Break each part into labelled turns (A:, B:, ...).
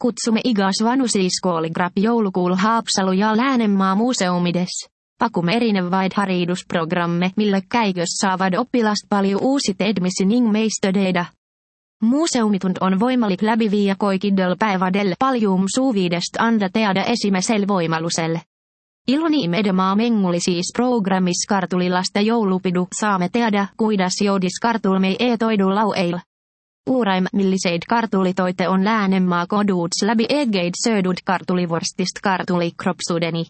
A: Kutsumme igas vanusiskooligrap joulukuul Haapsalu ja Läänenmaa museumides. Pakumme erinevät haridusprogramme, mille käikös saavat oppilast paljon uusi edmisi ning meistödeida. Museumitund on voimalik läbiviia koikidel päivadel paljum suuviidest anda teada esimesel voimaluselle. Iloni medemaa menguli siis programmis kartulilasta joulupidu saamme teada, kuidas joudis kartulmei toidu laueil. Uuraim milliseid kartulitoite on Läänenmaa koduuts läbi egeid söödud kartulivorstist kartulikropsudeni.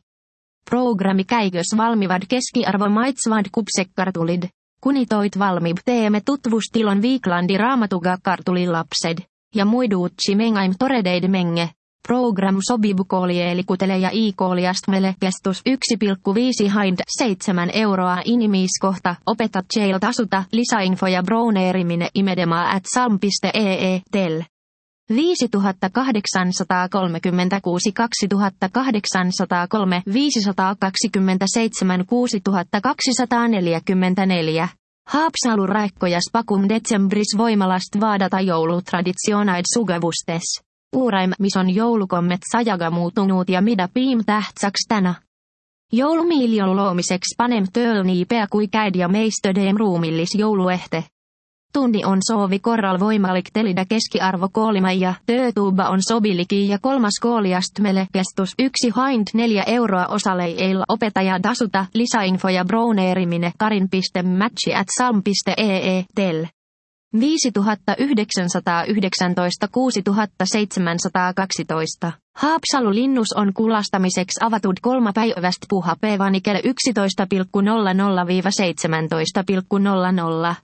A: Programmi käikös valmivad keskiarvo maitsvad kupsekkartulid. Kunitoit valmib teemme tutvustilon Viiklandi raamatuga kartulilapsed. Ja muiduutsi mengaim toredeid menge. Program sobibu koolielikutele ja i-kooliastmele kestus 1,5 hind 7 euroa inimiiskohta. Opetat jail tasuta lisäinfoja browneerimine imedemaa@salm.ee tel. 5836 2803 527 6244. Haapsalu räikkojas pakum detsembris voimalast vaadata joulutraditionaid sugevustes. Uuraim, mis on joulukommet sajaga muutunut ja mida piim tähtsaks tänä. Joulumiilion loomiseks panem tööl nii pea kui käid ja meistödeem ruumillis jouluehte. Tunni on soovi korral voimalik telida keskiarvo koolima ja töötuuba on sobiliki ja kolmas kooliastmele kestus 1 hind 4 euroa osaleil opetaja tasuta lisäinfoja browneerimine karin.matchi@salm.ee tel. 5919 6712. Haapsalu linnus on kulastamiseksi avatud 3 päivästä puhapäivänä kello 11.00–17.00.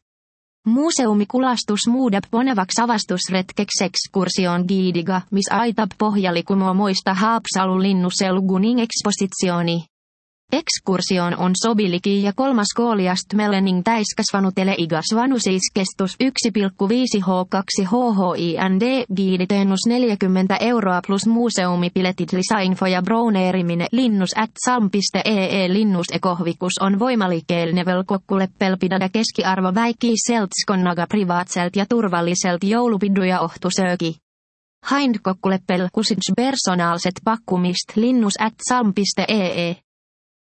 A: Museumikulastus muudab ponevaks avastusretkeks ekskursioon giidiga, mis aitab pohjalikumoa moista Haapsalu linnuselguning ekspositsiooni. Ekskursioon on sobiliki ja kolmas kooliastmele ning täiskasvanutele igas vanusis kestus 1,5 H2 HHIND giiditeenus 40 euroa plus museumipiletit lisäinfoja browneerimine linnus@salm.ee linnusekohvikus on voimalikeelnevel kokkuleppelpidada keskiarvo väikii seltskonnaga privaatselt ja turvalliselt joulupiduja ohtusööki. Hind kokkuleppel kusits personaalset pakkumist linnus@salm.ee.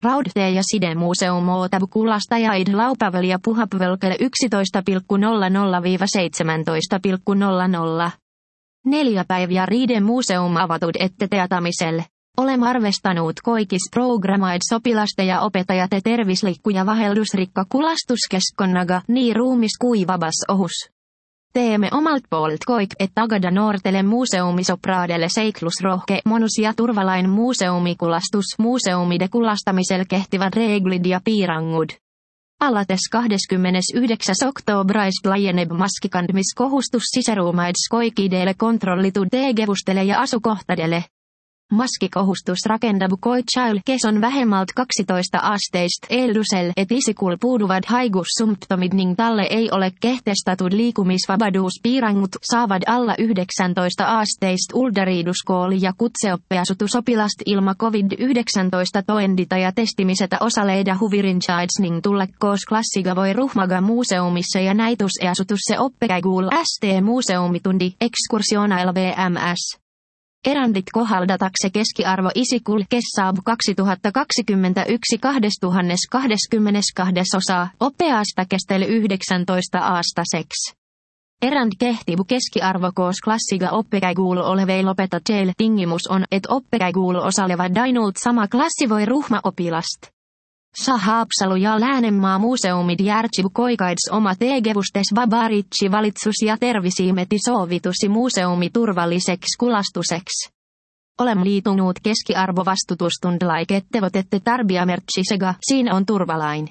A: Raudtee- ja sidemuseum ootab kulastajaid laupäivällä ja puhapäivällä 11.00–17.00. 4 päivää riiden museum avatud ette teatamiselle. Olem arvestanut koikis programmaid sopilaste ja opettajat tervislikku ja vaheldusrikka kulastuskeskonnaga niin ruumis kuin vabas ohus. Teemme omalt puolt koik, et tagada noortele museumisopraadelle seiklusrohke monus ja turvalain museumikulastus museumide kulastamisel kehtivad reeglid ja piirangud. Alates 29. oktoobrais laajeneb maskikandmiskohustus sisäruumaids koikidele kontrollitud tegevustele ja asukohtadele. Maskikohustus rakendabu koitsail kes on vähemmalt 12 asteist eldusel et isikul puuduvad haigussymptomid ning talle ei ole kehtestatud liikumisvapaduuspiirangud saavat alla 19 asteist uldariiduskooli ja kutseoppiasutusopilast ilma COVID-19 toendita ja testimisetä osaleida huvirinchaids ning tulla koos klassiga voi ruhmaga museumissa ja näituseasutusse oppekäiguul ST museumitundi ekskursionailla VMS. Erandit kohaldatakse keskiarvo isikul kes saabu 2021 2022 osaa oppeasta kestel 19 aastaseks. Erand kehtibu keskiarvo koos klassiga oppekäiguul oleveil opetajille tingimus on, et oppekäiguul osalevat ainult sama klassi voi ruhma opilast. Haapsalu ja Läänenmaa museumid järtsibu koikaids oma tegevustes vabaritsi valitsus ja tervisiimeti sovitusi museumi turvalliseksi kulastuseks. Olem liitunut keskiarvo vastutustundlaikettevat ette tarbiamertsisega, siinä on turvalain.